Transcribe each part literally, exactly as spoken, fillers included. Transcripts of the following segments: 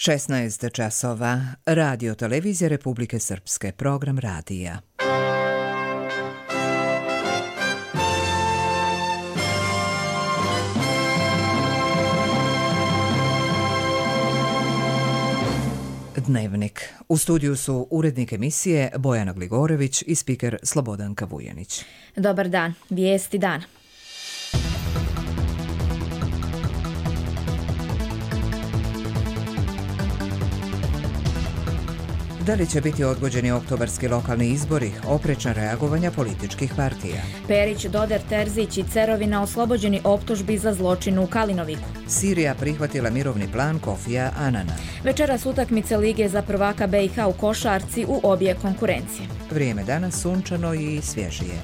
šesnaest časova. Radio Televizija Republike Srpske. Program radija. Dnevnik. U studiju su urednik emisije Bojana Gligorević i spiker Slobodanka Vujanić. Dobar dan. Vijesti dana. Da li će biti odgođeni oktobarski lokalni izbori, oprečna reagovanja političkih partija? Perić, Doder, Terzić i Cerovina oslobođeni optužbi za zločin u Kalinoviku. Sirija prihvatila mirovni plan Kofija Anana. Večeras utakmice Lige za prvaka B i H u košarci u obje konkurencije. Vrijeme danas sunčano i svježije.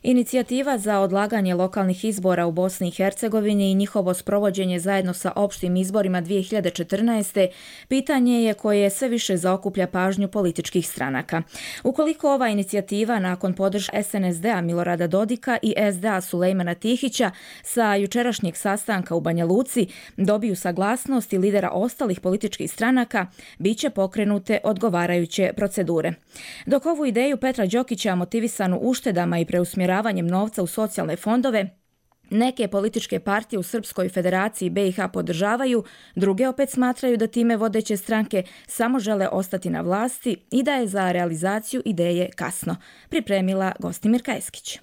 Inicijativa za odlaganje lokalnih izbora u Bosni i Hercegovini i njihovo sprovođenje zajedno sa opštim izborima dvije hiljade četrnaeste. pitanje je koje sve više zaokuplja pažnju političkih stranaka. Ukoliko ova inicijativa nakon podrške S N S D-a Milorada Dodika i S D A Sulejmana Tihića sa jučerašnjeg sastanka u Banja Luci dobiju saglasnost i lidera ostalih političkih stranaka, bit će pokrenute odgovarajuće procedure. Dok ovu ideju Petra Đokića motivisanu uštedama i preusmjeravanjem novca u socijalne fondove, neke političke partije u Srpskoj federaciji B i H podržavaju, druge opet smatraju da time vodeće stranke samo žele ostati na vlasti i da je za realizaciju ideje kasno. Pripremila Gostimir Kajskić.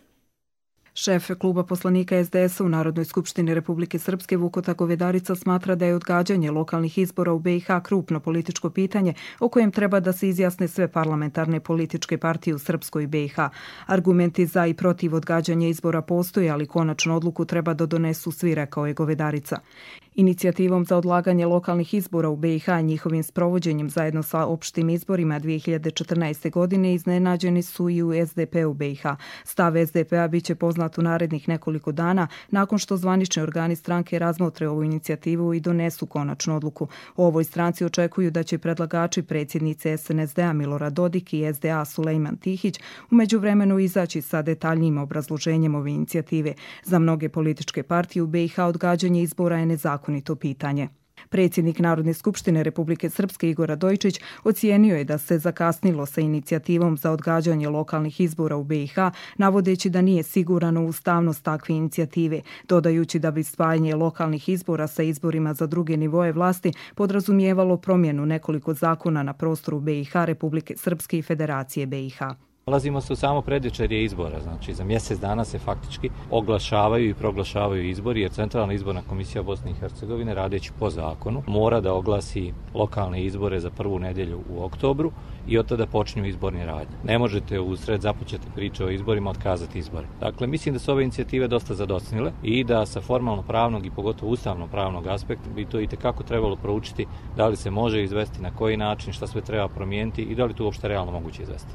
Šef kluba poslanika S D S-a u Narodnoj skupštini Republike Srpske Vukota Govedarica smatra da je odgađanje lokalnih izbora u B i H krupno političko pitanje o kojem treba da se izjasne sve parlamentarne političke partije u Srpskoj B i H. Argumenti za i protiv odgađanja izbora postoje, ali konačnu odluku treba da donesu svi, rekao je Govedarica. Inicijativom za odlaganje lokalnih izbora u B i H i njihovim sprovođenjem zajedno sa opštim izborima dvije hiljade četrnaeste. godine iznenađeni su i u S D P-u B i H. Stav S D P-a biće poznat u narednih nekoliko dana nakon što zvanični organi stranke razmotre ovu inicijativu i donesu konačnu odluku. U ovoj stranci očekuju da će predlagači predsjednice S N S D-a Milorad Dodik i S D A Sulejman Tihić u međuvremenu izaći sa detaljnijim obrazloženjem ove inicijative. Za mnoge političke partije u B i H odgađanje izbora je nezakonito pitanje. Predsjednik Narodne skupštine Republike Srpske Igor Radojčić ocijenio je da se zakasnilo sa inicijativom za odgađanje lokalnih izbora u B i H, navodeći da nije siguran u ustavnost takve inicijative, dodajući da bi spajanje lokalnih izbora sa izborima za druge nivoje vlasti podrazumijevalo promjenu nekoliko zakona na prostoru B i H, Republike Srpske i Federacije B i H. Nalazimo se u samo predvečerje izbora, znači za mjesec dana se faktički oglašavaju i proglašavaju izbori, jer Centralna izborna komisija Bosne i Hercegovine, radeći po zakonu, mora da oglasi lokalne izbore za prvu nedjelju u oktobru i od tada počinju izborni radnje. Ne možete u sred započete priče o izborima otkazati izbore. Dakle, mislim da su ove inicijative dosta zadosnile i da sa formalno-pravnog i pogotovo ustavno-pravnog aspekta bi to itekako trebalo proučiti da li se može izvesti, na koji način, šta sve treba promijeniti i da li to uopšte realno moguće izvesti.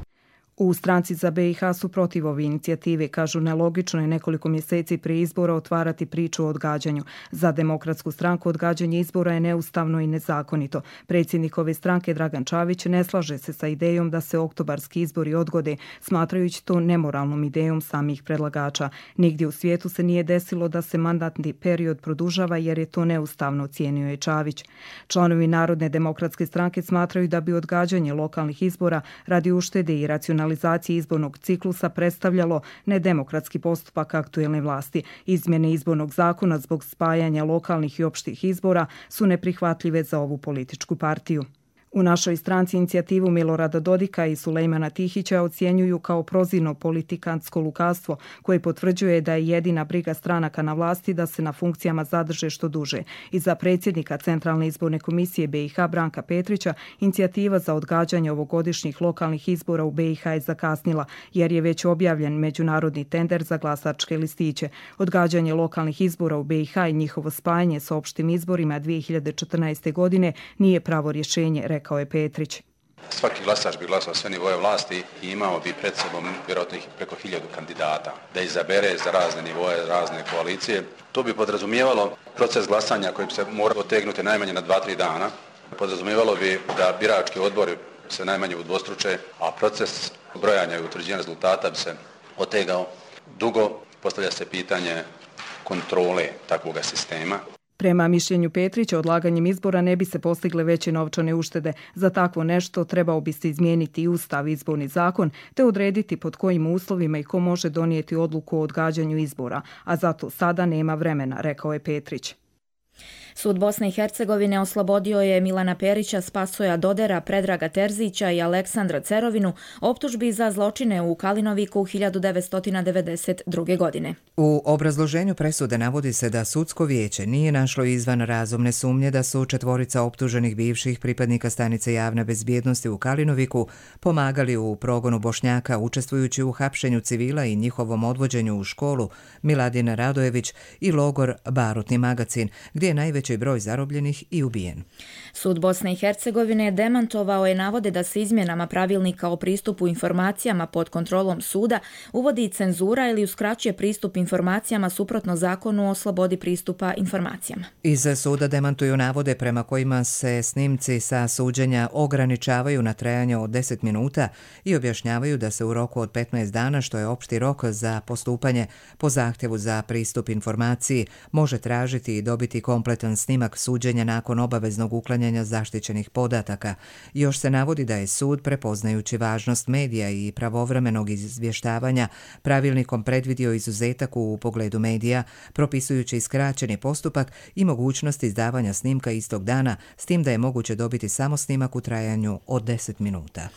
U stranci za B i H su protiv ove inicijative, kažu nelogično je nekoliko mjeseci prije izbora otvarati priču o odgađanju. Za Demokratsku stranku odgađanje izbora je neustavno i nezakonito. Predsjednik ove stranke Dragan Čavić ne slaže se sa idejom da se oktobarski izbori odgode, smatrajući to nemoralnom idejom samih predlagača. Nigdje u svijetu se nije desilo da se mandatni period produžava jer je to neustavno, ocijenio je Čavić. Članovi Narodne demokratske stranke smatraju da bi odgađanje lokalnih izbora radi uštede i racionalizacije izbornog ciklusa predstavljalo nedemokratski postupak aktuelne vlasti. Izmjene izbornog zakona zbog spajanja lokalnih i opštih izbora su neprihvatljive za ovu političku partiju. U našoj stranci inicijativu Milorada Dodika i Sulejmana Tihića ocjenjuju kao prozirno politikantsko lukavstvo koje potvrđuje da je jedina briga stranaka na vlasti da se na funkcijama zadrže što duže. I za predsjednika Centralne izborne komisije B i H Branka Petrića inicijativa za odgađanje ovogodišnjih lokalnih izbora u B i H je zakasnila jer je već objavljen međunarodni tender za glasačke listiće. Odgađanje lokalnih izbora u B i H i njihovo spajanje sa opštim izborima dvije hiljade četrnaeste. godine nije pravo rješenje, rekao je Petrić. Svaki glasač bi glasao sve nivoje vlasti i imao bi pred sobom vjerojatno preko hiljadu kandidata da izabere za razne nivoje, razne koalicije. To bi podrazumijevalo proces glasanja koji bi se morao otegnuti najmanje na dva tri dana. Podrazumijevalo bi da birački odbori se najmanje udvostruče, a proces brojanja i utvrđivanja rezultata bi se otegao dugo. Postavlja se pitanje kontrole takvoga sistema. Prema mišljenju Petrića, odlaganjem izbora ne bi se postigle veće novčane uštede. Za takvo nešto trebao bi se izmijeniti i Ustav, izborni zakon, te odrediti pod kojim uslovima i ko može donijeti odluku o odgađanju izbora, a zato sada nema vremena, rekao je Petrić. Sud Bosne i Hercegovine oslobodio je Milana Perića, Spasoja Dodera, Predraga Terzića i Aleksandra Cerovinu optužbi za zločine u Kalinoviku hiljadu devetsto devedeset druge. godine. U obrazloženju presude navodi se da sudsko vijeće nije našlo izvan razumne sumnje da su četvorica optuženih bivših pripadnika stanice javne bezbjednosti u Kalinoviku pomagali u progonu Bošnjaka učestvujući u hapšenju civila i njihovom odvođenju u školu Miladin Radojević i logor Barutni Magacin, gdje je najveći broj zarobljenih i ubijen. Sud Bosne i Hercegovine demantovao je navode da se izmjenama pravilnika o pristupu informacijama pod kontrolom suda uvodi cenzura ili uskraćuje pristup informacijama suprotno zakonu o slobodi pristupa informacijama. Iz suda demantuju navode prema kojima se snimci sa suđenja ograničavaju na trajanje od deset minuta i objašnjavaju da se u roku od petnaest dana, što je opšti rok za postupanje po zahtjevu za pristup informaciji, može tražiti i dobiti kompletan snimak suđenja nakon obaveznog uklanjanja zaštićenih podataka. Još se navodi da je sud, prepoznajući važnost medija i pravovremenog izvještavanja, pravilnikom predvidio izuzetak u pogledu medija, propisujući skraćeni postupak i mogućnost izdavanja snimka istog dana, s tim da je moguće dobiti samo snimak u trajanju od deset minuta.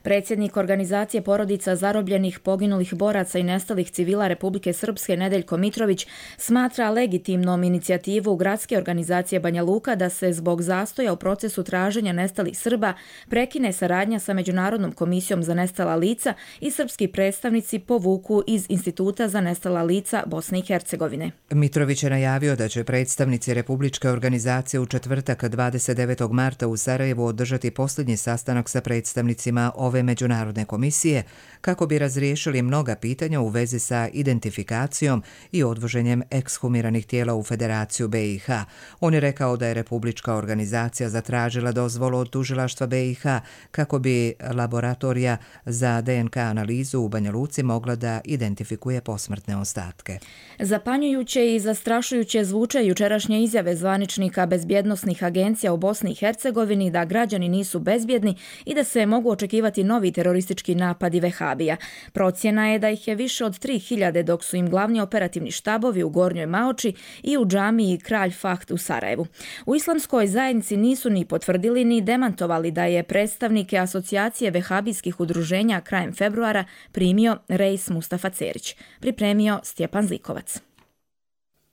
Predsjednik organizacije porodica zarobljenih, poginulih boraca i nestalih civila Republike Srpske Nedeljko Mitrović smatra legitimnom inicijativu gradske organizacije Banja Luka da se zbog zastoja u procesu traženja nestalih Srba prekine saradnja sa Međunarodnom komisijom za nestala lica i srpski predstavnici povuku iz Instituta za nestala lica Bosne i Hercegovine. Mitrović je najavio da će predstavnici Republičke organizacije u četvrtak dvadeset devetog marta u Sarajevu održati posljednji sastanak sa predstavnicima ove Međunarodne komisije kako bi razriješili mnoga pitanja u vezi sa identifikacijom i odvoženjem ekshumiranih tijela u Federaciju B i H. On je rekao da je Republička organizacija zatražila dozvolu od tužilaštva B i H kako bi laboratorija za D N K analizu u Banja Luci mogla da identifikuje posmrtne ostatke. Zapanjujuće i zastrašujuće zvuče jučerašnje izjave zvaničnika bezbjednosnih agencija u Bosni i Hercegovini da građani nisu bezbjedni i da se mogu očekivati novi teroristički napadi vehabija. Procjena je da ih je više od tri hiljade, dok su im glavni operativni štabovi u Gornjoj Maoči i u džamiji Kralj Fahd u Sarajevu. U islamskoj zajednici nisu ni potvrdili ni demantovali da je predstavnike asocijacije vehabijskih udruženja krajem februara primio Reis Mustafa Cerić. Pripremio Stjepan Zlikovac.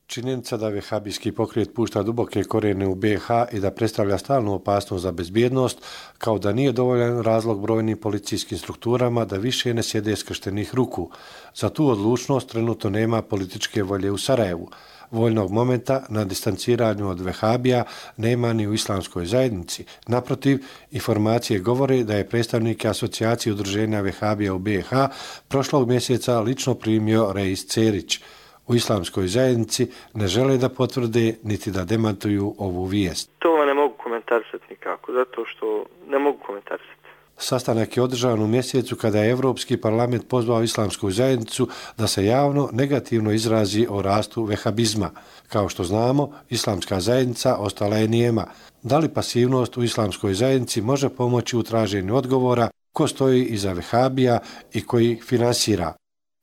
Činjenica da vehabijski pokret pušta duboke korijene u B i H i da predstavlja stalnu opasnost za bezbjednost, kao da nije dovoljan razlog brojnim policijskim strukturama da više ne sjede skrštenih ruku. Za tu odlučnost trenutno nema političke volje u Sarajevu. Voljnog momenta na distanciranju od vehabija nema ni u islamskoj zajednici. Naprotiv, informacije govore da je predstavnike asocijacije udruženja vehabija u B i H prošlog mjeseca lično primio Reis Cerić. U islamskoj zajednici ne žele da potvrde niti da demantuju ovu vijest. To ne mogu komentarisati nikako, zato što ne mogu komentarisati. Sastanak je održan u mjesecu kada je Evropski parlament pozvao islamsku zajednicu da se javno negativno izrazi o rastu vehabizma. Kao što znamo, islamska zajednica ostala je nijema. Da li pasivnost u islamskoj zajednici može pomoći u traženju odgovora ko stoji iza vehabija i koji ih finansira?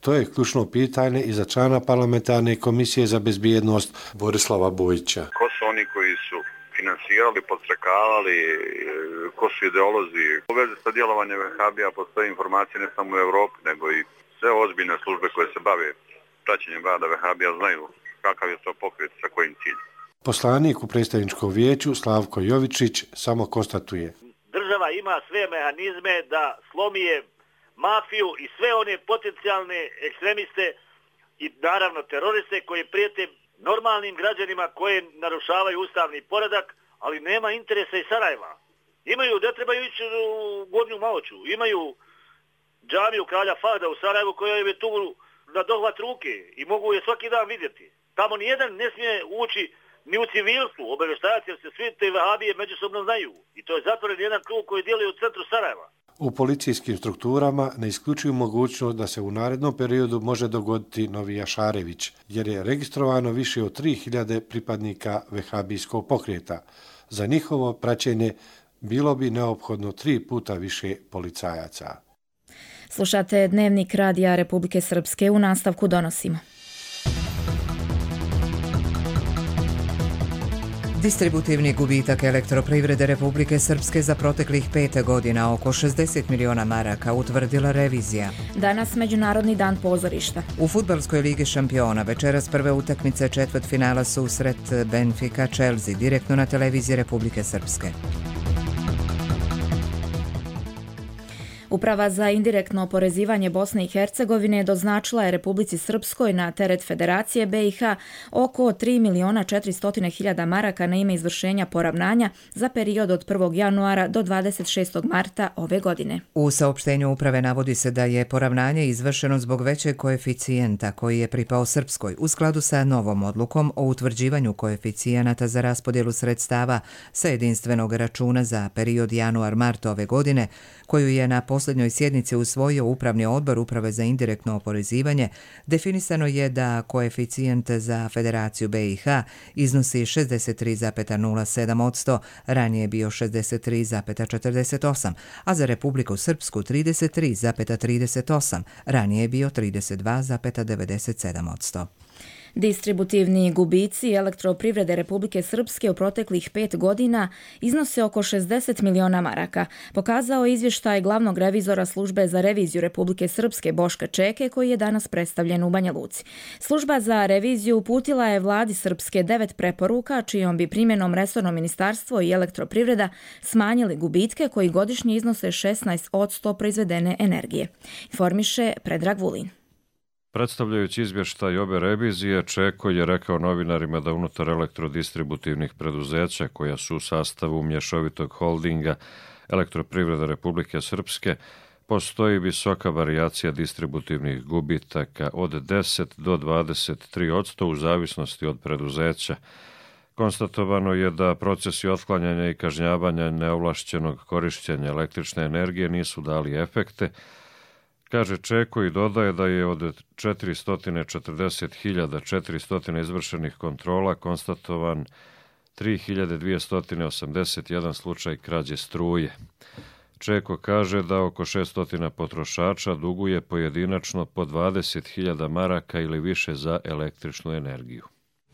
To je ključno pitanje i za člana parlamentarne komisije za bezbjednost Borislava Bojića. Ko su oni koji su finansirali, podstrekavali, ko su ideolozi? U vezi sa djelovanjem vehabija postoje informacije ne samo u Evropi, nego i sve ozbiljne službe koje se bave praćenjem rada vehabija znaju kakav je to pokret sa kojim ciljem. Poslanik u predstavničkom vijeću Slavko Jovičić samo konstatuje. Država ima sve mehanizme da slomi je mafiju i sve one potencijalne ekstremiste i naravno teroriste koji prijete normalnim građanima koje narušavaju ustavni poredak, ali nema interesa iz Sarajeva. Imaju, ne trebaju ići u Gornju Maoču, imaju džamiju Kralja Fahda u Sarajevu koja je tu na dohvat ruke i mogu je svaki dan vidjeti. Tamo nijedan ne smije ući ni u civilstvu, obavještajati jer se svi te vehabije međusobno znaju. I to je zatvoren jedan krug koji djeluje u centru Sarajeva. U policijskim strukturama ne isključuju mogućnost da se u narednom periodu može dogoditi novi Jašarević, jer je registrovano više od tri hiljade pripadnika vehabijskog pokreta. Za njihovo praćenje bilo bi neophodno tri puta više policajaca. Slušate Dnevnik Radija Republike Srpske, u nastavku donosimo. Distributivni gubitak elektroprivrede Republike Srpske za proteklih pet godina oko šezdeset miliona maraka utvrdila revizija. Danas Međunarodni dan pozorišta. U fudbalskoj ligi šampiona večeras prve utakmice četvrtfinala susret Benfica-Chelsea direktno na televiziji Republike Srpske. Uprava za indirektno oporezivanje Bosne i Hercegovine doznačila je Republici Srpskoj na teret Federacije B i H oko tri miliona četiristo hiljada maraka na ime izvršenja poravnanja za period od prvog januara do dvadeset šestog marta ove godine. U saopštenju uprave navodi se da je poravnanje izvršeno zbog većeg koeficijenta koji je pripao Srpskoj u skladu sa novom odlukom o utvrđivanju koeficijenata za raspodjelu sredstava sa jedinstvenog računa za period januar-mart ove godine, koju je na posljednjoj sjednici usvojio Upravni odbor Uprave za indirektno oporezivanje. Definisano je da koeficijent za Federaciju B i H iznosi šezdeset tri zarez nula sedam posto, ranije je bio šezdeset tri zarez četrdeset osam, a za Republiku Srpsku trideset tri zarez trideset osam, ranije je bio trideset dva zarez devedeset sedam posto. Distributivni gubici elektroprivrede Republike Srpske u proteklih pet godina iznose oko šezdeset miliona maraka, pokazao je izvještaj glavnog revizora Službe za reviziju Republike Srpske Boška Čeke, koji je danas predstavljen u Banja Luci. Služba za reviziju uputila je vladi Srpske devet preporuka, čijom bi primjenom resorno ministarstvo i elektroprivreda smanjili gubitke koji godišnje iznose šesnaest posto proizvedene energije. Informiše Predrag Vulin. Predstavljajući izvještaj obe revizije, Čeko je rekao novinarima da unutar elektrodistributivnih preduzeća koja su u sastavu mješovitog holdinga Elektroprivreda Republike Srpske postoji visoka varijacija distributivnih gubitaka od deset do dvadeset tri posto u zavisnosti od preduzeća. Konstatovano je da procesi otklanjanja i kažnjavanja neovlašćenog korišćenja električne energije nisu dali efekte, kaže Čeko i dodaje da je od četiristo četrdeset hiljada četiristo izvršenih kontrola konstatovan tri hiljade dvjesto osamdeset jedan slučaj krađe struje. Čeko kaže da oko šesto potrošača duguje pojedinačno po dvadeset hiljada maraka ili više za električnu energiju.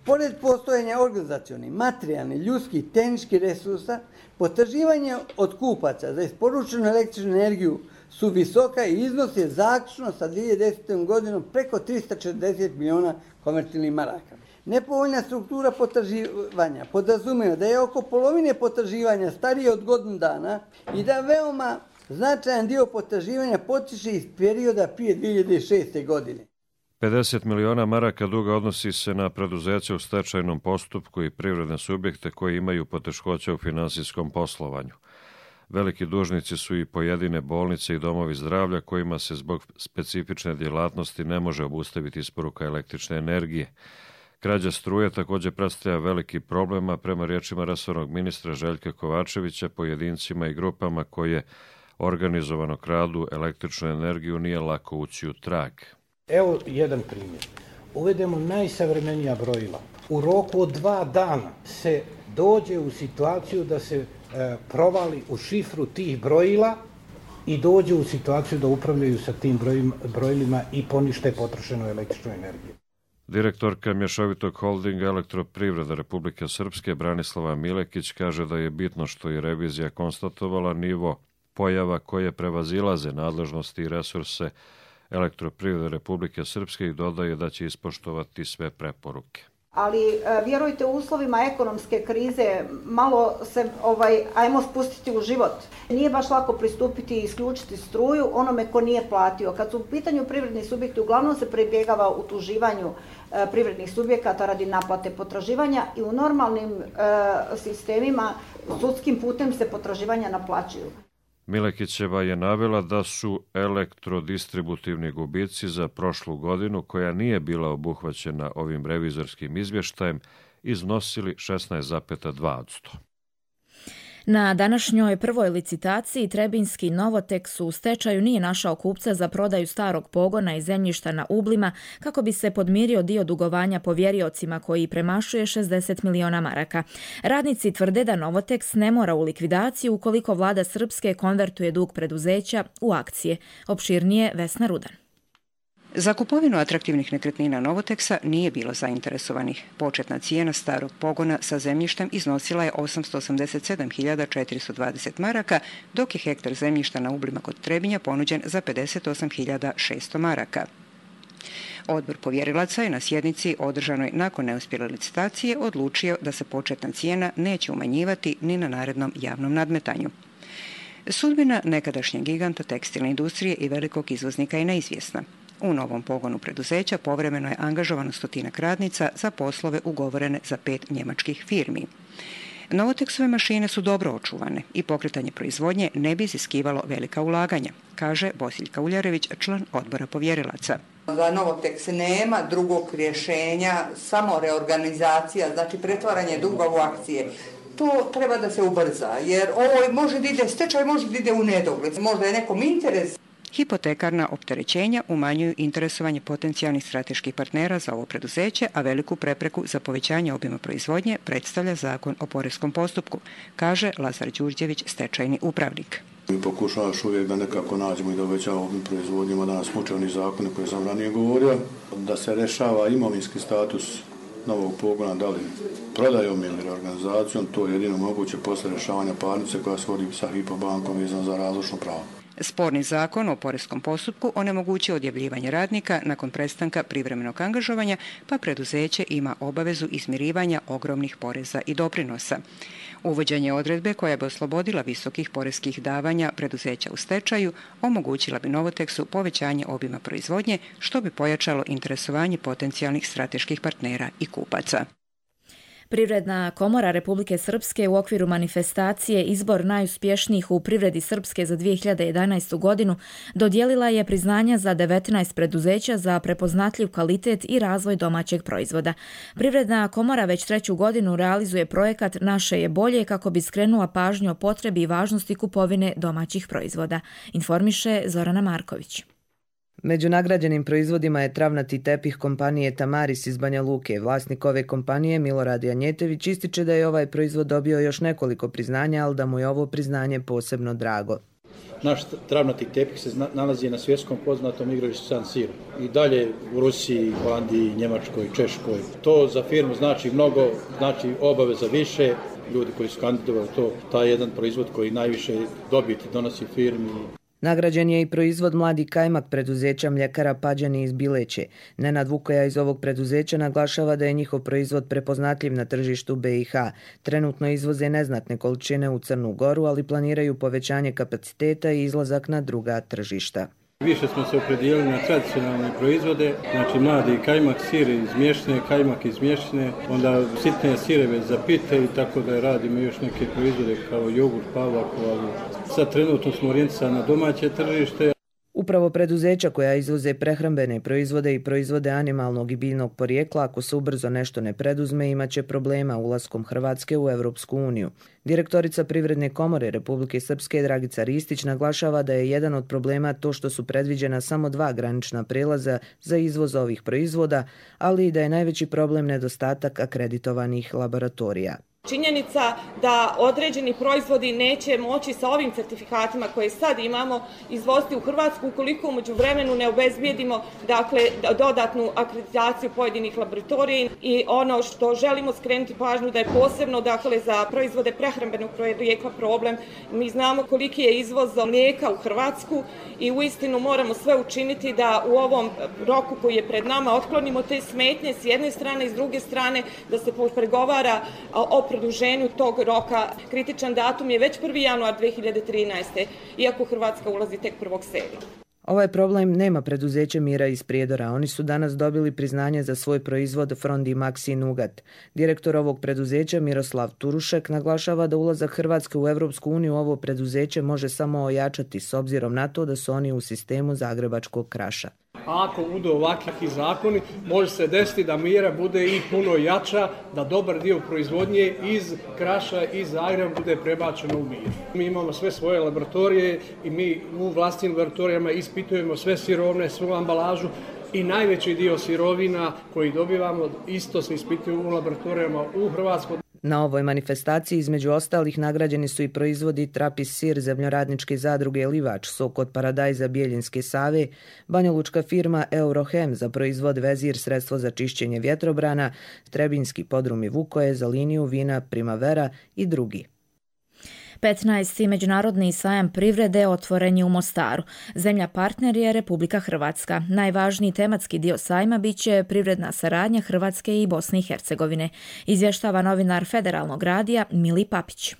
Pored postojanja organizacionih, materijalnih, ljudskih, tehničkih resursa, potraživanje od kupaca za isporučenu električnu energiju su visoka i iznos je zaključno sa dvije hiljade desetom godinom preko tristo četrdeset miliona konvertibilnih maraka. Nepovoljna struktura potraživanja podrazumijeva da je oko polovine potraživanja starije od godinu dana i da veoma značajan dio potraživanja potiče iz perioda prije dvije hiljade šeste. godine. pedeset miliona maraka duga odnosi se na preduzeća u stečajnom postupku i privredne subjekte koji imaju poteškoća u finansijskom poslovanju. Veliki dužnici su i pojedine bolnice i domovi zdravlja kojima se zbog specifične djelatnosti ne može obustaviti isporuka električne energije. Krađa struje također predstavlja veliki problem, a prema riječima resornog ministra Željka Kovačevića, pojedincima i grupama koje organizovano kradu električnu energiju nije lako ući u trag. Evo jedan primjer. Uvedemo najsavremenija brojila. U roku od dva dana se dođe u situaciju da se e, provali u šifru tih brojila i dođe u situaciju da upravljaju sa tim brojima, brojilima i ponište potrošenu električnu energiju. Direktorka mješovitog holdinga Elektroprivreda Republike Srpske Branislava Milekić kaže da je bitno što je revizija konstatovala nivo pojava koje prevazilaze nadležnosti i resurse Elektroprivrede Republike Srpske i dodaje da će ispoštovati sve preporuke. Ali vjerujte, u uslovima ekonomske krize malo se ovaj ajmo spustiti u život. Nije baš lako pristupiti i isključiti struju onome ko nije platio. Kad su u pitanju privredni subjekti, uglavnom se pribjegava utuživanju e, privrednih subjekata radi naplate potraživanja i u normalnim e, sistemima sudskim putem se potraživanja naplaćuju. Milekićeva je navela da su elektrodistributivni gubici za prošlu godinu, koja nije bila obuhvaćena ovim revizorskim izvještajem, iznosili šesnaest zarez dva posto. Na današnjoj prvoj licitaciji Trebinski Novoteks u stečaju nije našao kupca za prodaju starog pogona i zemljišta na Ublima kako bi se podmirio dio dugovanja povjeriocima koji premašuje šezdeset miliona maraka. Radnici tvrde da Novoteks ne mora u likvidaciju ukoliko vlada Srpske konvertuje dug preduzeća u akcije. Opširnije Vesna Rudan. Za kupovinu atraktivnih nekretnina Novoteksa nije bilo zainteresovanih. Početna cijena starog pogona sa zemljištem iznosila je osamsto osamdeset sedam hiljada četiristo dvadeset maraka, dok je hektar zemljišta na Ublima kod Trebinja ponuđen za pedeset osam hiljada šesto maraka. Odbor povjerilaca je na sjednici održanoj nakon neuspjele licitacije odlučio da se početna cijena neće umanjivati ni na narednom javnom nadmetanju. Sudbina nekadašnjeg giganta tekstilne industrije i velikog izvoznika je neizvjesna. U novom pogonu preduzeća povremeno je angažovano stotinak radnica za poslove ugovorene za pet njemačkih firmi. Novoteksove mašine su dobro očuvane i pokretanje proizvodnje ne bi iziskivalo velika ulaganja, kaže Bosiljka Uljarević, član odbora povjerilaca. Za Novoteks nema drugog rješenja, samo reorganizacija, znači pretvaranje duga u akcije. To treba da se ubrza, jer ovo može da ide, stečaj može da ide u nedogled, možda je nekom interes. Hipotekarna opterećenja umanjuju interesovanje potencijalnih strateških partnera za ovo preduzeće, a veliku prepreku za povećanje obima proizvodnje predstavlja zakon o poreskom postupku, kaže Lazar Đurđević, stečajni upravnik. Mi pokušavaš uvijek da nekako nađemo i da uvećamo obim proizvodnjima, da nas muče oni zakone koje sam ranije govorio, da se rešava imovinski status novog pogona, da li prodajom ili reorganizacijom, to je jedino moguće posle rešavanja parnice koja se vodi sa Hypo bankom vezano za razlučno pravo. Sporni zakon o poreskom postupku onemogućuje odjavljivanje radnika nakon prestanka privremenog angažovanja, pa preduzeće ima obavezu izmirivanja ogromnih poreza i doprinosa. Uvođenje odredbe koja bi oslobodila visokih poreskih davanja preduzeća u stečaju omogućila bi Novoteksu povećanje obima proizvodnje, što bi pojačalo interesovanje potencijalnih strateških partnera i kupaca. Privredna komora Republike Srpske u okviru manifestacije Izbor najuspješnijih u privredi Srpske za dvije hiljade jedanaestu godinu dodijelila je priznanja za devetnaest preduzeća za prepoznatljiv kvalitet i razvoj domaćeg proizvoda. Privredna komora već treću godinu realizuje projekat Naše je bolje kako bi skrenula pažnju o potrebi i važnosti kupovine domaćih proizvoda, informiše Zorana Marković. Među nagrađenim proizvodima je travnati tepih kompanije Tamaris iz Banja Luke. Vlasnik ove kompanije, Milorad Janjetović, ističe da je ovaj proizvod dobio još nekoliko priznanja, ali da mu je ovo priznanje posebno drago. Naš travnati tepih se nalazi na svjetskom poznatom igralištu San Siro. I dalje u Rusiji, Holandiji, Njemačkoj, Češkoj. To za firmu znači mnogo, znači obaveza više. Ljudi koji su kandidovali to, taj jedan proizvod koji najviše dobiti donosi firmi. Nagrađen je i proizvod Mladi kajmak preduzeća mljekara Pađani iz Bileće. Nenad Vukoja iz ovog preduzeća naglašava da je njihov proizvod prepoznatljiv na tržištu B i H. Trenutno izvoze neznatne količine u Crnu Goru, ali planiraju povećanje kapaciteta i izlazak na druga tržišta. Više smo se opredijelili na tradicionalne proizvode, znači mladi kajmak, sir iz mješne, kajmak iz mješne, onda sitne sireve za pite i tako da radimo još neke proizvode kao jogurt, pavlaku, ali sad trenutno smo orijentisani na domaće tržište. Upravo preduzeća koja izvoze prehrambene proizvode i proizvode animalnog i biljnog porijekla, ako se ubrzo nešto ne preduzme, imaće problema ulaskom Hrvatske u Europsku uniju. Direktorica Privredne komore Republike Srpske Dragica Ristić naglašava da je jedan od problema to što su predviđena samo dva granična prelaza za izvoz ovih proizvoda, ali i da je najveći problem nedostatak akreditovanih laboratorija. Činjenica da određeni proizvodi neće moći sa ovim certifikatima koje sad imamo izvoziti u Hrvatsku ukoliko umeđu vremenu ne obezbijedimo dakle, dodatnu akreditaciju pojedinih laboratorija i ono što želimo skrenuti pažnju da je posebno dakle, za proizvode prehrambenog porijekla problem. Mi znamo koliki je izvoz mlijeka u Hrvatsku i uistinu moramo sve učiniti da u ovom roku koji je pred nama otklonimo te smetnje s jedne strane i s druge strane da se pregovara o produženju tog roka. Kritičan datum je već prvi januar dvije hiljade trinaeste. iako Hrvatska ulazi tek prvog sedmog Ovaj problem nema preduzeće Mira iz Prijedora. Oni su danas dobili priznanje za svoj proizvod Frondi Maxi Nugat. Direktor ovog preduzeća Miroslav Turušek naglašava da ulazak Hrvatske u Europsku uniju ovo preduzeće može samo ojačati s obzirom na to da su oni u sistemu zagrebačkog kraša. a ako budu ovakvi zakoni, može se desiti da mjera bude i puno jača, da dobar dio proizvodnje iz Kraša i Zagreba bude prebačeno u Mir. Mi imamo sve svoje laboratorije i mi u vlastnim laboratorijama ispitujemo sve sirovine, svu ambalažu i najveći dio sirovina koji dobivamo isto se ispituju u laboratorijama u Hrvatskoj. Na ovoj manifestaciji između ostalih nagrađeni su i proizvodi Trapis sir zemljoradničke zadruge Livač, sok od paradajza Bijeljinske Save, banjalučka firma Eurohem za proizvod Vezir sredstvo za čišćenje vjetrobrana, Trebinski podrumi Vukoje za liniju vina Primavera i drugi. petnaesti. Međunarodni sajam privrede otvoren je u Mostaru. Zemlja partner je Republika Hrvatska. Najvažniji tematski dio sajma biće privredna saradnja Hrvatske i Bosne i Hercegovine, izvještava novinar Federalnog radija Mili Papić.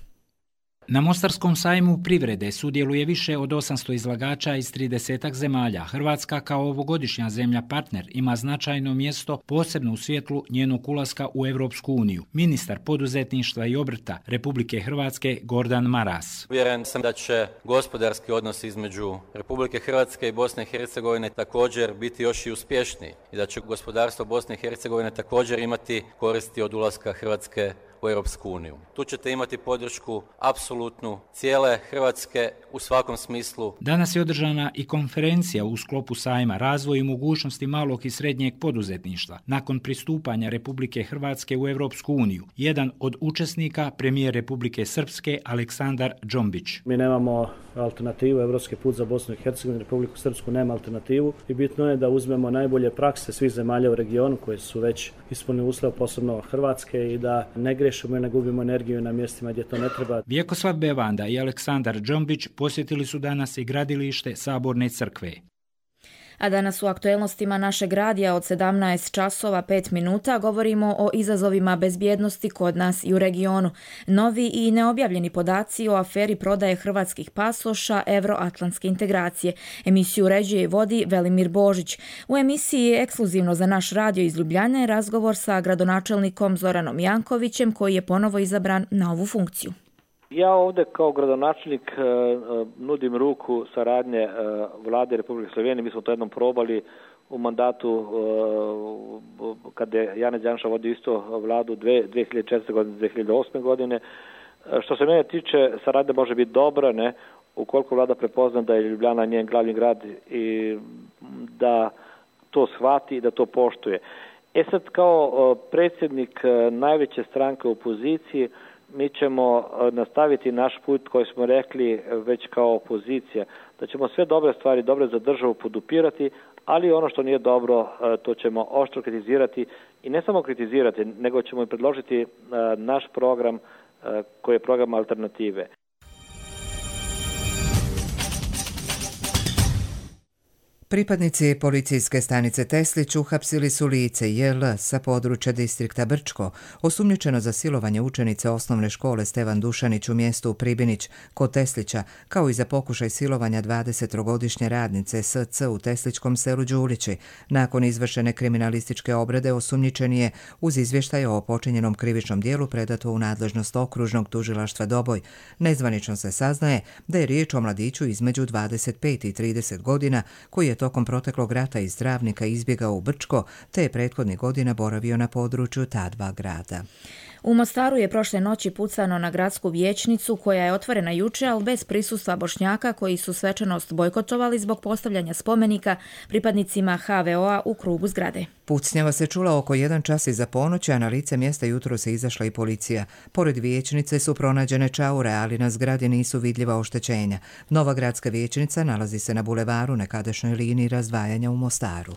Na Mostarskom sajmu privrede sudjeluje više od osamsto izlagača iz tridesetak zemalja. Hrvatska kao ovogodišnja zemlja partner ima značajno mjesto posebno u svjetlu njenog ulaska u Europsku uniju. Ministar poduzetništva i obrta Republike Hrvatske Gordan Maras. Uvjeren sam da će gospodarski odnos između Republike Hrvatske i Bosne i Hercegovine također biti još i uspješniji i da će gospodarstvo Bosne i Hercegovine također imati koristi od ulaska Hrvatske u Europsku uniju. Tu ćete imati podršku apsolutnu cijele Hrvatske u svakom smislu. Danas je održana i konferencija u sklopu sajma Razvoj i mogućnosti malog i srednjeg poduzetništva. Nakon pristupanja Republike Hrvatske u Europsku uniju, jedan od učesnika, premijer Republike Srpske Aleksandar Džombić. Mi nemamo alternativu, Evropski put za Bosnu i Hercegovinu, Republiku Srpsku nema alternativu i bitno je da uzmemo najbolje prakse svih zemalja u regionu koje su već ispunili uslov, posebno Hrvatske, i da ne grešimo i ne gubimo energiju na mjestima gdje to ne treba. Vjekoslav Bevanda i Aleksandar Džombić posjetili su danas i gradilište Saborne crkve. A danas u aktuelnostima našeg radija od sedamnaest časova pet minuta govorimo o izazovima bezbjednosti kod nas i u regionu. Novi i neobjavljeni podaci o aferi prodaje hrvatskih pasoša Euroatlantske integracije. Emisiju uređuje i vodi Velimir Božić. U emisiji je ekskluzivno za naš radio iz Ljubljane razgovor sa gradonačelnikom Zoranom Jankovićem koji je ponovo izabran na ovu funkciju. Ja ovdje kao gradonačelnik nudim ruku saradnje vlade Republike Slovenije. Mi smo to jednom probali u mandatu kada je Janez Janša vodio isto vladu dvije hiljade četvrte godine, dvije hiljade osme godine. Što se mene tiče, saradnja može biti dobra, ne, ukoliko vlada prepozna da je Ljubljana njen glavni grad i da to shvati i da to poštuje. E sad, kao predsjednik najveće stranke u opoziciji, mi ćemo nastaviti naš put koji smo rekli već kao opozicija, da ćemo sve dobre stvari, dobre za državu podupirati, ali ono što nije dobro, to ćemo oštro kritizirati i ne samo kritizirati, nego ćemo i predložiti naš program koji je program alternative. Pripadnici policijske stanice Teslić uhapsili su lice J L sa područja distrikta Brčko, osumnjičeno za silovanje učenice osnovne škole Stevan Dušanić u mjestu Pribinić kod Teslića, kao i za pokušaj silovanja dvadesettrogodišnje radnice S C u tesličkom selu Đulići. Nakon izvršene kriminalističke obrade osumnjičen je uz izvještaj o počinjenom krivičnom dijelu predato u nadležnost okružnog tužilaštva Doboj. Nezvanično se saznaje da je riječ o mladiću između dvadeset pet i trideset godina koji je tokom proteklog rata iz Travnika izbjegao u Brčko, te je prethodnih godina boravio na području ta dva grada. U Mostaru je prošle noći pucano na gradsku vijećnicu koja je otvorena juče, ali bez prisustva Bošnjaka koji su svečanost bojkotovali zbog postavljanja spomenika pripadnicima H V O-a u krugu zgrade. Pucnjava se čula oko jedan čas iza ponoći, a na lice mjesta jutro se izašla i policija. Pored vijećnice su pronađene čaure, ali na zgradi nisu vidljiva oštećenja. Nova gradska vijećnica nalazi se na bulevaru, nekadašnjoj liniji razdvajanja u Mostaru.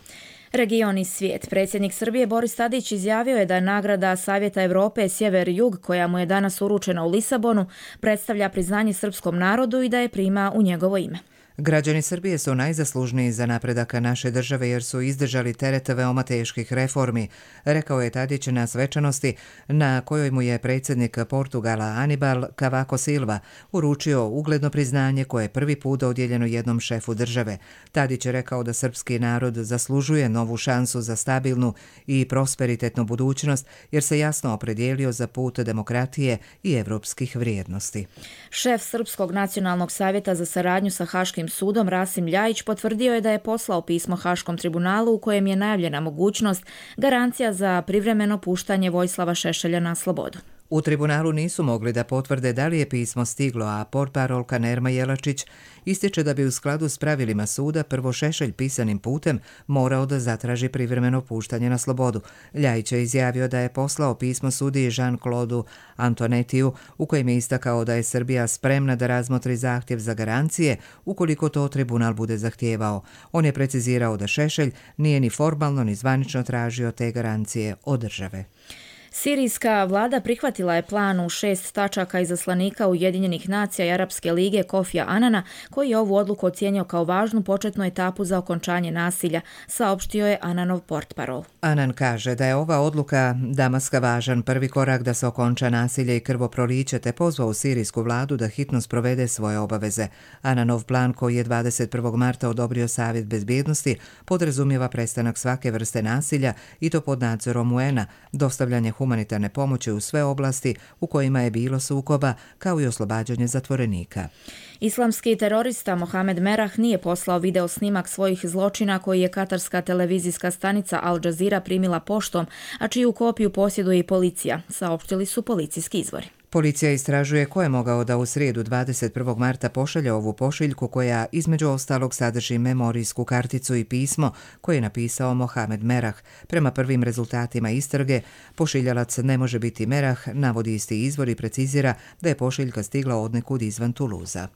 Region i svijet. Predsjednik Srbije Boris Tadić izjavio je da nagrada Savjeta Europe Sjever-Jug, koja mu je danas uručena u Lisabonu, predstavlja priznanje srpskom narodu i da je prima u njegovo ime. Građani Srbije su najzaslužniji za napredak naše države jer su izdržali teret veoma teških reformi, rekao je Tadić na svečanosti na kojoj mu je predsjednik Portugala Anibal Cavaco Silva uručio ugledno priznanje koje je prvi put dodijeljeno jednom šefu države. Tadić je rekao da srpski narod zaslužuje novu šansu za stabilnu i prosperitetnu budućnost jer se jasno opredijelio za put demokratije i evropskih vrijednosti. Šef Srpskog nacionalnog savjeta za saradnju sa Haškim općim sudom Rasim Ljajić potvrdio je da je poslao pismo Haškom tribunalu u kojem je najavljena mogućnost garancija za privremeno puštanje Vojislava Šešelja na slobodu. U tribunalu nisu mogli da potvrde da li je pismo stiglo, a portparolka Nerma Jelačić ističe da bi u skladu s pravilima suda prvo Šešelj pisanim putem morao da zatraži privremeno puštanje na slobodu. Ljajić je izjavio da je poslao pismo sudiji Jean-Claude Antonetiju u kojem je istakao da je Srbija spremna da razmotri zahtjev za garancije ukoliko to tribunal bude zahtijevao. On je precizirao da Šešelj nije ni formalno ni zvanično tražio te garancije od države. Sirijska vlada prihvatila je plan u šest tačaka izaslanika Ujedinjenih nacija i Arapske lige Kofija Anana, koji je ovu odluku ocijenio kao važnu početnu etapu za okončanje nasilja, saopštio je Ananov portparol. Anan kaže da je ova odluka Damaska važan prvi korak da se okonča nasilje i krvoproliće, te pozvao sirijsku vladu da hitno sprovede svoje obaveze. Ananov plan, koji je dvadeset prvog marta odobrio Savjet bezbjednosti, podrazumijeva prestanak svake vrste nasilja i to pod nadzorom U N-a, dostavljanje humanitarne pomoći u sve oblasti u kojima je bilo sukoba, kao i oslobađanje zatvorenika. Islamski terorista Mohamed Merah nije poslao video snimak svojih zločina koji je katarska televizijska stanica Al Jazeera primila poštom, a čiju kopiju posjeduje i policija, saopštili su policijski izvori. Policija istražuje ko je mogao da u srijedu dvadeset prvog marta pošalje ovu pošiljku koja između ostalog sadrži memorijsku karticu i pismo koje je napisao Mohamed Merah. Prema prvim rezultatima istrage, pošiljalac ne može biti Merah, navodi isti izvor i precizira da je pošiljka stigla odnekud izvan Tuluza.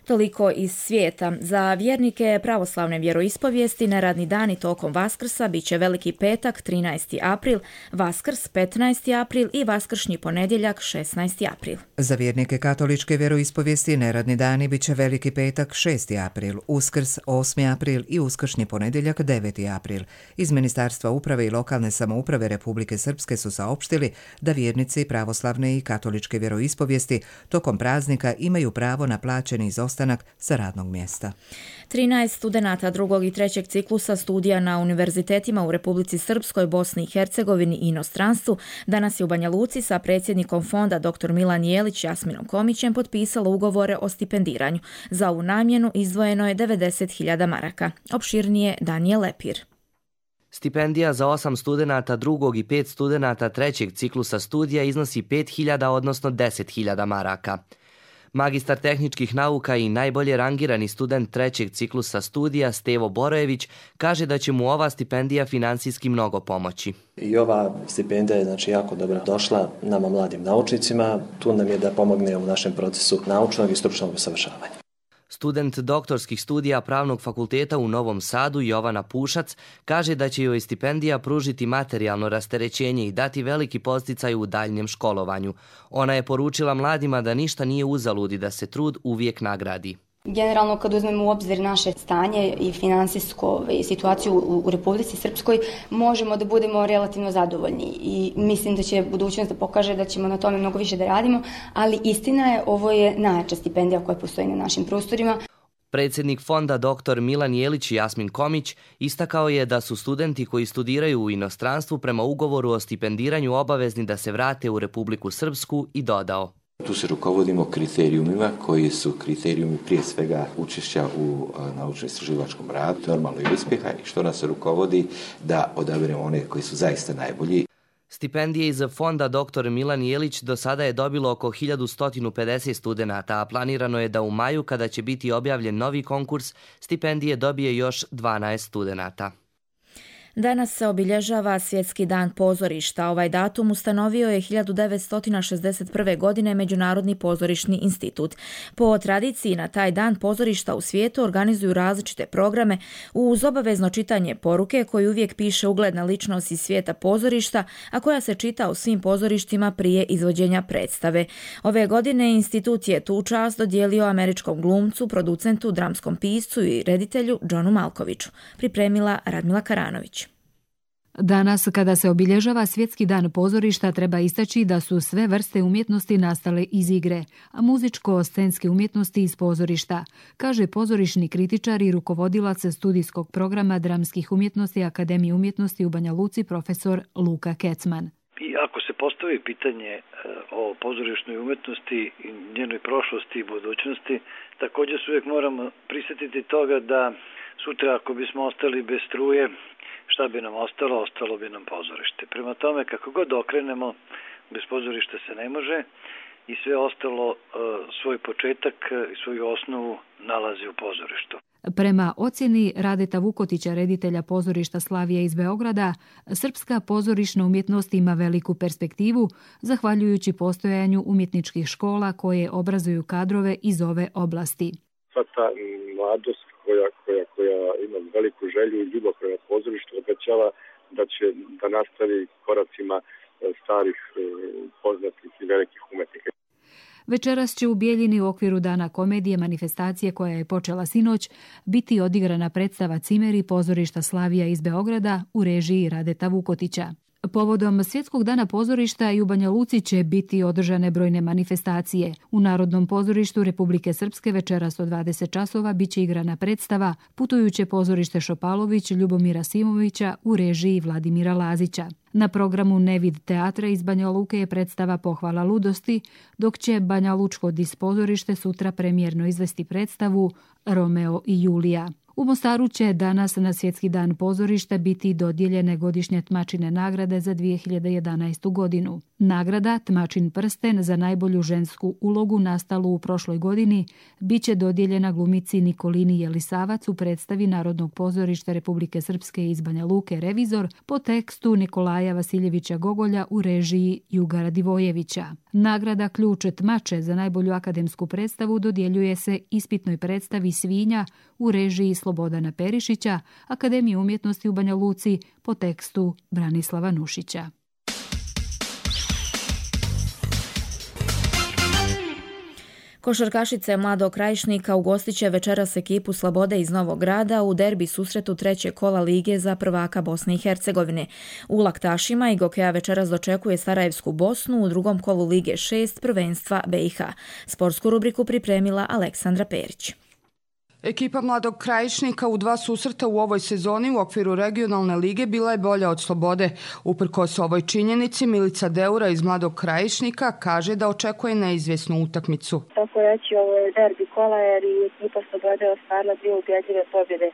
Toliko iz svijeta. Za vjernike pravoslavne vjeroispovijesti neradni dani tokom Vaskrsa bit će Veliki petak trinaesti april, Vaskrs petnaesti april i vaskršnji ponedjeljak šesnaesti april. Za vjernike katoličke vjeroispovijesti neradni dani bit će Veliki petak šesti april, Uskrs osmi april i uskršnji ponedjeljak deveti april. Iz Ministarstva uprave i lokalne samouprave Republike Srpske su saopštili da vjernici pravoslavne i katoličke vjeroispovijesti tokom praznika imaju pravo na plaćeni izostanak sa radnog mjesta. trinaest studenata drugog i trećeg ciklusa studija na univerzitetima u Republici Srpskoj, Bosni i Hercegovini i inostranstvu danas je u Banja Luci sa predsjednikom fonda dr Milan Jelić Jasminom Komićem potpisalo ugovore o stipendiranju. Za ovu namjenu izdvojeno je devedeset hiljada maraka. Opširnije Danijel Lepir. Stipendija za osam studenata drugog i pet studenata trećeg ciklusa studija iznosi pet hiljada, odnosno deset hiljada maraka. Magistar tehničkih nauka i najbolje rangirani student trećeg ciklusa studija Stevo Borojević kaže da će mu ova stipendija finansijski mnogo pomoći. I ova stipendija je znači jako dobro došla nama mladim naučnicima. Tu nam je da pomogne u našem procesu naučnog i stručnog usavršavanja. Student doktorskih studija Pravnog fakulteta u Novom Sadu Jovana Pušac kaže da će joj stipendija pružiti materijalno rasterećenje i dati veliki podsticaj u daljnjem školovanju. Ona je poručila mladima da ništa nije uzalud i da se trud uvijek nagradi. Generalno, kad uzmemo u obzir naše stanje i finansijsku situaciju u Republici Srpskoj, možemo da budemo relativno zadovoljni i mislim da će budućnost da pokaže da ćemo na tome mnogo više da radimo, ali istina je, ovo je najjača stipendija koja postoji na našim prostorima. Predsjednik fonda dr Milan Jelić Jasmin Komić istakao je da su studenti koji studiraju u inostranstvu prema ugovoru o stipendiranju obavezni da se vrate u Republiku Srpsku i dodao: Tu se rukovodimo kriterijumima koji su kriterijumi prije svega učešća u naučno-istraživačkom radu, normalno i uspjeha, i što nas rukovodi da odaberemo one koji su zaista najbolji. Stipendije iz fonda dr Milan Jelić do sada je dobilo oko hiljadu sto pedeset studenata, a planirano je da u maju, kada će biti objavljen novi konkurs, stipendije dobije još dvanaest studenata. Danas se obilježava Svjetski dan pozorišta. Ovaj datum ustanovio je hiljadu devetsto šezdeset prve. godine Međunarodni pozorišni institut. Po tradiciji na taj dan pozorišta u svijetu organizuju različite programe uz obavezno čitanje poruke koju uvijek piše ugledna ličnost iz svijeta pozorišta, a koja se čita u svim pozorištima prije izvođenja predstave. Ove godine institut je tu čast dodijelio američkom glumcu, producentu, dramskom piscu i reditelju Johnu Malkoviću. Pripremila Radmila Karanović. Danas, kada se obilježava Svjetski dan pozorišta, treba istaći da su sve vrste umjetnosti nastale iz igre, a muzičko-scenske umjetnosti iz pozorišta, kaže pozorišni kritičar i rukovodilac studijskog programa dramskih umjetnosti Akademije umjetnosti u Banja Luci profesor Luka Kecman. ako se postavi pitanje o pozorišnoj umetnosti i njenoj prošlosti i budućnosti, također se uvijek moramo prisjetiti toga da sutra ako bismo ostali bez struje, šta bi nam ostalo? Ostalo bi nam pozorište. Prema tome, kako god okrenemo, bez pozorišta se ne može i sve ostalo svoj početak i svoju osnovu nalazi u pozorištu. Prema ocjeni Radeta Vukotića, reditelja pozorišta Slavija iz Beograda, srpska pozorišna umjetnost ima veliku perspektivu, zahvaljujući postojanju umjetničkih škola koje obrazuju kadrove iz ove oblasti. Sva ta mladost koja, koja, koja ima veliku želju i ljubav prema pozorištu obećava da će da nastavi koracima starih, poznatih i velikih umetnika. Večeras će u Bijeljini u okviru Dana komedije manifestacije koja je počela sinoć biti odigrana predstava Cimeri pozorišta Slavija iz Beograda u režiji Radeta Vukotića. Povodom Svjetskog dana pozorišta i u Banja Luci će biti održane brojne manifestacije. U Narodnom pozorištu Republike Srpske večeras od dvadeset časova biće igrana predstava Putujuće pozorište Šopalović Ljubomira Simovića u režiji Vladimira Lazića. Na programu Nevid teatra iz Banja Luke je predstava Pohvala ludosti, dok će Banja Lučko dispozorište sutra premijerno izvesti predstavu Romeo i Julija. U Mostaru će danas na Svjetski dan pozorišta biti dodijeljene godišnje Tmačine nagrade za dvije hiljade jedanaestu godinu. Nagrada Tmačin prsten za najbolju žensku ulogu nastalu u prošloj godini bit će dodijeljena glumici Nikolini Jelisavac u predstavi Narodnog pozorišta Republike Srpske iz Banja Luke Revizor po tekstu Nikolaja Vasiljevića Gogolja u režiji Juga Divojevića. Nagrada Ključ Tmače za najbolju akademsku predstavu dodjeljuje se ispitnoj predstavi Svinja u režiji Slobodana Perišića, Akademije umjetnosti u Banja Luci po tekstu Branislava Nušića. Košarkašice Mladog Krajišnika ugostit će večeras ekipu Slobode iz Novog Grada u derbi susretu trećeg kola lige za prvaka Bosne i Hercegovine. U Laktašima i Gokeja večeras dočekuje Sarajevsku Bosnu u drugom kolu Lige šest prvenstva B i H. Sportsku rubriku pripremila Aleksandra Perić. Ekipa Mladog Krajišnika u dva susreta u ovoj sezoni u okviru regionalne lige bila je bolja od Slobode. Uprkos ovoj činjenici, Milica Deura iz Mladog Krajišnika kaže da očekuje neizvjesnu utakmicu. Tako reći, ovo je derbi kola jer i ekipa Slobode ostvarila dvije ubjedljive pobjede.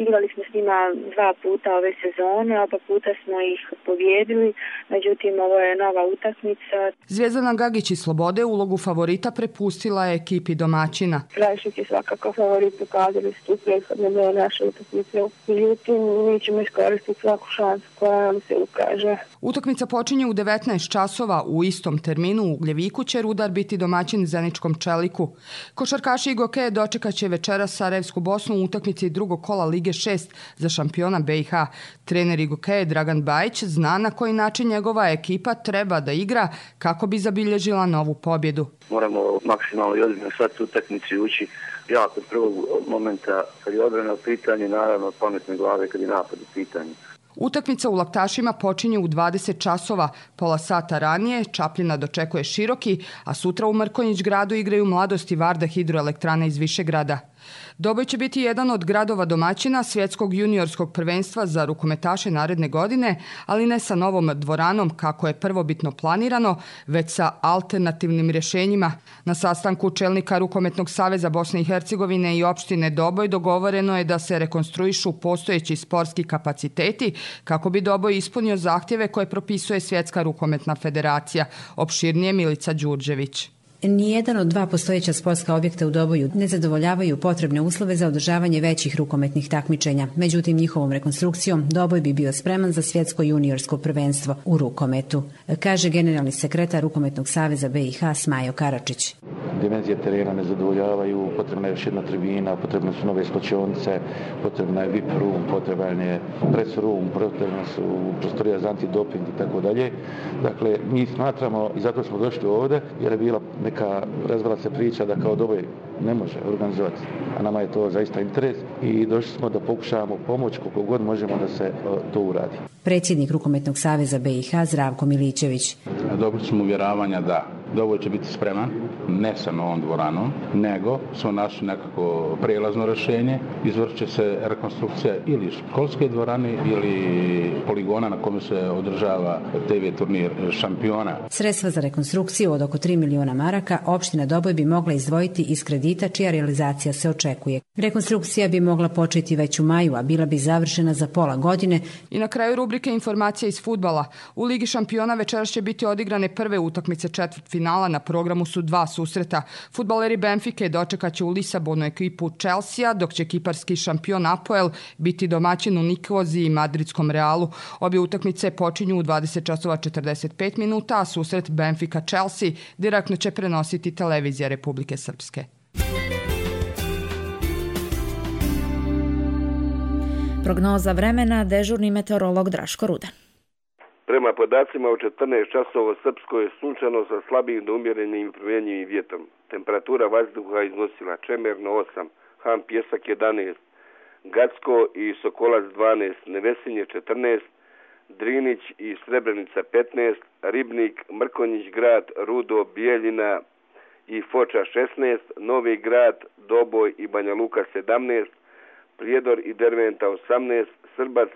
Igrali smo s njima dva puta ove sezone, oba puta smo ih pobjedili, međutim ovo je nova utakmica. Zvijezdana Gagić iz Slobode ulogu favorita prepustila je ekipi domaćina. Krajišnik je svakako favorit, ukazali su prethodne dve naše utakmice. Međutim, mi ćemo iskoristiti svaku šansu koja nam se ukaže. Utakmica počinje u devetnaest časova. U istom terminu u Ugljeviku će Rudar biti domaćin Zeničkom Čeliku. Košarkaši i Gokeje dočekat će večeras Sarajevsku Bosnu u utakmici drugog kola Lige šest za šampiona B i H. Trener i Gokeje Dragan Bajić zna na koji način njegova ekipa treba da igra kako bi zabilježila novu pobjedu. Moramo maksimalno i ozbiljno shvatiti utakmicu i ući jako od prvog momenta kad je odbrana u pitanju, naravno od pametne glave kad je napad u pitanju. Utakmica u Laktašima počinje u dvadeset časova. Pola sata ranije Čapljina dočekuje Široki, a sutra u Mrkonjić gradu igraju Mladost i Varda hidroelektrane iz Višegrada. Doboj će biti jedan od gradova domaćina svjetskog juniorskog prvenstva za rukometaše naredne godine, ali ne sa novom dvoranom kako je prvobitno planirano, već sa alternativnim rješenjima. Na sastanku čelnika Rukometnog saveza Bosne i Hercegovine i opštine Doboj dogovoreno je da se rekonstruišu postojeći sportski kapaciteti kako bi Doboj ispunio zahtjeve koje propisuje Svjetska rukometna federacija. Opširnije Milica Đurđević. Nijedan od dva postojeća sportska objekta u Doboju ne zadovoljavaju potrebne uslove za održavanje većih rukometnih takmičenja. Međutim, njihovom rekonstrukcijom Doboj bi bio spreman za svjetsko juniorsko prvenstvo u rukometu, kaže generalni sekretar Rukometnog saveza B i H Smajo Karačić. Dimenzije terena ne zadovoljavaju, potrebna je još jedna tribina, potrebne su nove slačionice, potrebna je V I P room, potreban je press room, potrebna su prostorija za antidoping i tako dalje. Dakle, mi smatramo i zato smo došli ovdje jer je bila neka razvala se priča da kao Doboj ne može organizovati, a nama je to zaista interes i došli smo da pokušavamo pomoći koliko god možemo da se to uradi. Predsjednik Rukometnog saveza B i H Zdravko Miličević. Dobili smo uvjeravanja da Doboj će biti spreman, ne sa novom dvoranom, nego smo našli nekako prijelazno rješenje. Izvršit će se rekonstrukcija ili školske dvorane ili poligona na kome se održava te ve turnir šampiona. Sredstva za rekonstrukciju od oko tri miliona maraka opština Doboj bi mogla izdvojiti iz kredita čija realizacija se očekuje. Rekonstrukcija bi mogla početi već u maju, a bila bi završena za pola godine. I na kraju rubrike informacija iz fudbala. U Ligi šampiona večeras će biti odigrane prve utakmice četvrtfinala, na programu su dva susreta. Fudbaleri Benfike dočekat će u Lisabonu ekipu Chelsea, dok će kiparski šampion Apoel biti domaćin u Nikoziji i madridskom Realu. Obje utakmice počinju u dvadeset časova četrdeset pet minuta, a susret Benfica-Chelsea direktno će prenositi televizija Republike Srpske. Prognoza vremena, dežurni meteorolog Draško Rudan. Prema podacima u četrnaest časova u Srpskoj je sunčano sa slabim do umjerenim i promjenjivim vjetrom. Temperatura vazduha iznosila Čemerno osam, Han Pjesak jedanaest, Gacko i Sokolac dvanaest, Nevesinje četrnaest, Drinić i Srebrenica petnaest, Ribnik, Mrkonjić grad, Rudo, Bijeljina i Foča šesnaest, Novi grad, Doboj i Banja Luka sedamnaest, Prijedor i Derventa osamnaest, Srbac,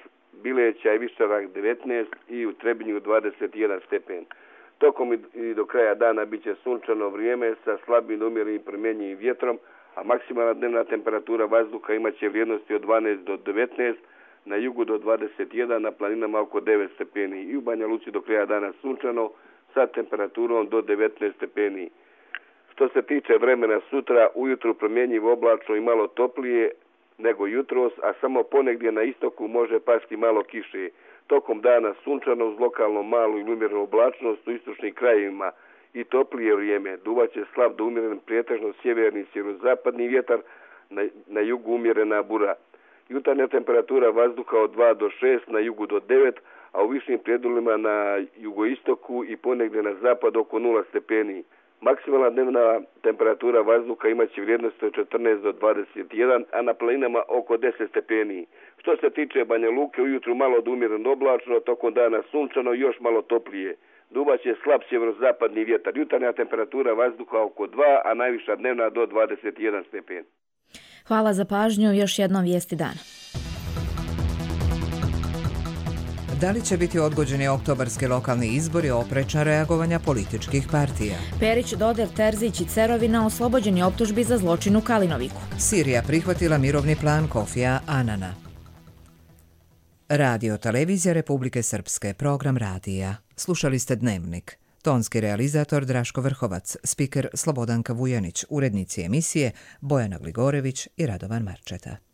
Bileća i Višarak devetnaest i u Trebinju dvadeset jedan stepen. Tokom i do kraja dana bit će sunčano vrijeme sa slabim umjerenim promjenjivim vjetrom, a maksimalna dnevna temperatura vazduha imat će vrijednosti od dvanaest do devetnaest, na jugu do dvadeset jedan, na planinama oko devet stepeni i u Banja Luci do kraja dana sunčano sa temperaturom do devetnaest stepeni. Što se tiče vremena sutra, ujutru promjenjivo oblačno i malo toplije nego jutros, a samo ponegdje na istoku može pasti malo kiše. Tokom dana sunčano uz lokalno malu ili umjerenu oblačnost u istočnim krajevima i toplije vrijeme. Duvaće slab do umjeren prijetežno sjeverni sjeverozapadni vjetar, na, na jugu umjerena bura. Jutarnja temperatura vazduha od dva do šest, na jugu do devet, a u višim predjelima na jugoistoku i ponegdje na zapad oko nula stepeni. Maksimalna dnevna temperatura vazduha imat će vrijednost od četrnaest do dvadeset jedan, a na planinama oko deset stepeni. Što se tiče Banja Luke, ujutru malo do umjereno oblačno, tokom dana sunčano i još malo toplije. Duvaće slab sjeverozapadni vjetar. Jutarnja temperatura vazduha oko dva, a najviša dnevna do dvadeset jedan stepen. Hvala za pažnju, još jednom vijesti dana. Da li će biti odgođeni oktobarski lokalni izbori, oprečna reagovanja političkih partija? Perić, Doder, Terzić i Cerovina oslobođeni optužbi za zločin u Kalinoviku. Sirija prihvatila mirovni plan Kofija Anana. Radio Televizija Republike Srpske, program radija. Slušali ste Dnevnik. Tonski realizator Draško Vrhovac, spiker Slobodanka Vujanić, urednici emisije Bojana Gligorević i Radovan Marčeta.